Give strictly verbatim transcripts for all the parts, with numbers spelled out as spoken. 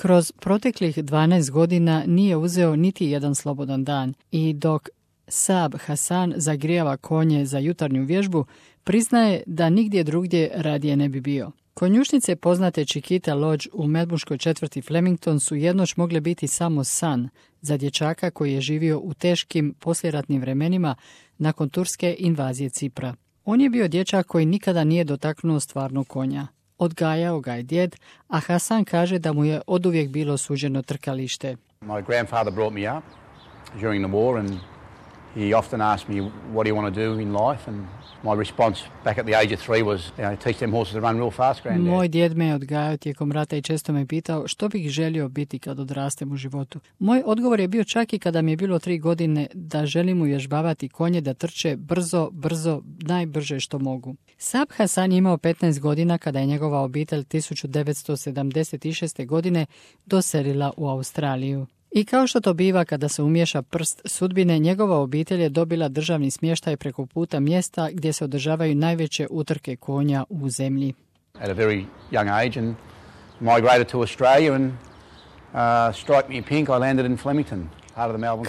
Kroz proteklih dvanaest godina nije uzeo niti jedan slobodan dan i dok Saab Hasan zagrijava konje za jutarnju vježbu, priznaje da nigdje drugdje radije ne bi bio. Konjušnice poznate Chiquita Lodge u melbourneškoj četvrti Flemington su jednoć mogle biti samo san za dječaka koji je živio u teškim poslijeratnim vremenima nakon turske invazije Cipra. On je bio dječak koji nikada nije dotaknuo stvarnog konja. Odgajao ga je djed, a Hasan kaže da mu je oduvijek bilo suđeno trkalište. My grandfather brought me up during the war and he often asked me what do you want to do in life and my response back at the age of three was, you know, teach them horses to run real fast, granddad. Moj djed me je odgajao tijekom rata i često me pitao što bih želio biti kad odrastem u životu. Moj odgovor je bio čak i kada mi je bilo tri godine da želim uvježbavati konje da trče brzo, brzo, najbrže što mogu. Saab Hasan je imao petnaest godina kada je njegova obitelj tisuću devetsto sedamdeset šeste. godine doselila u Australiju. I kao što to biva kada se umiješa prst sudbine, njegova obitelj je dobila državni smještaj preko puta mjesta gdje se održavaju najveće utrke konja u zemlji. At a very young age and migrated to Australia and uh, strike me pink, I landed in Flemington.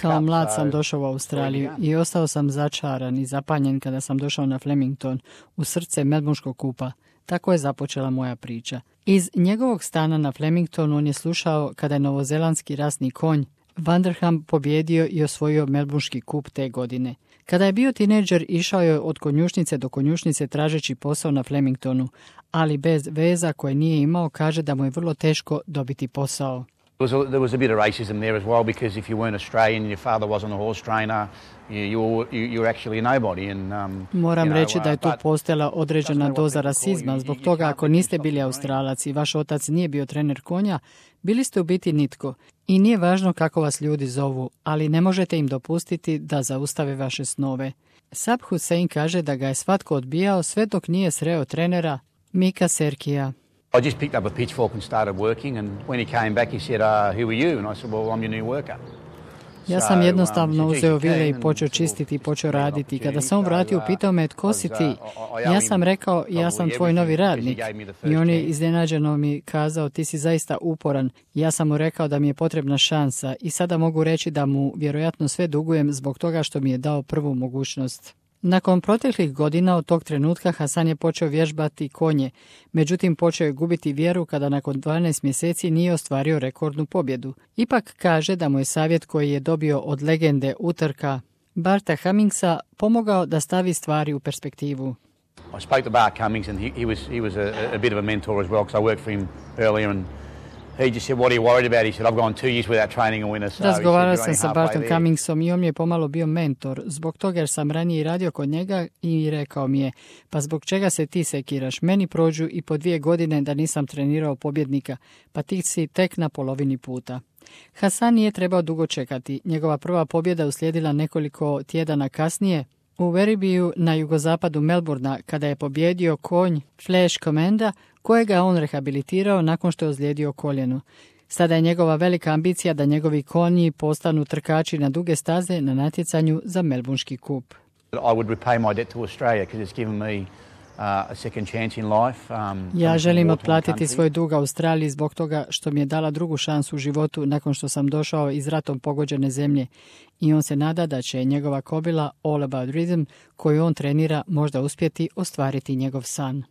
Kao mlad sam došao u Australiju i ostao sam začaran i zapanjen kada sam došao na Flemington, u srce Melbourneškog kupa. Tako je započela moja priča. Iz njegovog stana na Flemingtonu on je slušao kada je novozelandski rasni konj Vanderham pobjedio i osvojio Melbourneški kup te godine. Kada je bio tinejdžer, išao je od konjušnice do konjušnice tražeći posao na Flemingtonu, ali bez veza koje nije imao, kaže da mu je vrlo teško dobiti posao. There was, a, there was a bit of racism there as well because if you weren't Australian and your father wasn't a horse trainer, you, you, were, you, you were actually a nobody. And, um, Moram you know, reći da je tu uh, postojala određena doza rasizma. Zbog toga, ako niste bili Australac i vaš otac nije bio trener konja, bili ste u biti nitko. I nije važno kako vas ljudi zovu, ali ne možete im dopustiti da zaustave vaše snove. Saab Hussein kaže da ga je svatko odbijao sve dok nije sreo trenera Mika Serkija. I just picked up a pitchfork and started working, and when he came back he said, uh, who are you? And I said, well, I'm your new worker. Ja sam jednostavno uzeo vile i počeo čistiti i počeo raditi. Kada sam vratio, pitao me tko si ti? Ja sam rekao, ja sam tvoj novi radnik. I on je iznenađeno mi kazao, ti si zaista uporan. Ja sam mu rekao da mi je potrebna šansa i sada mogu reći da mu vjerojatno sve dugujem zbog toga što mi je dao prvu mogućnost. Nakon proteklih godina od tog trenutka Hasan je počeo vježbati konje, međutim počeo je gubiti vjeru kada nakon dvanaest mjeseci nije ostvario rekordnu pobjedu. Ipak kaže da mu je savjet koji je dobio od legende utrka Barta Cummingsa pomogao da stavi stvari u perspektivu. I spoke to Bart Cummings and he, he was, he was a, a bit of a mentor as well because I worked for him earlier and he just said, what are you worried about? He said, I've gone two years without training a winner. So Razgovarao said, sam sa Bartom Cummingsom i on mi je pomalo bio mentor. Zbog toga jer sam ranije radio kod njega i rekao mi je, pa zbog čega se ti sekiraš? Meni prođu i po dvije godine da nisam trenirao pobjednika, pa ti si tek na polovini puta. Hasan nije trebao dugo čekati. Njegova prva pobjeda uslijedila nekoliko tjedana kasnije u Werribee na jugozapadu Melbourna kada je pobjedio konj Flash Commanda kojega on rehabilitirao nakon što je ozlijedio koljeno. Sada je njegova velika ambicija da njegovi konji postanu trkači na duge staze na natjecanju za Melbourneški kup. I would repay my debt to Australia because it's given me uh, a second chance in life. Um, ja želim otplatiti svoj dug Australiji zbog toga što mi je dala drugu šansu u životu nakon što sam došao iz ratom pogođene zemlje i on se nada da će njegova kobila All About Rhythm koju on trenira možda uspjeti ostvariti njegov san.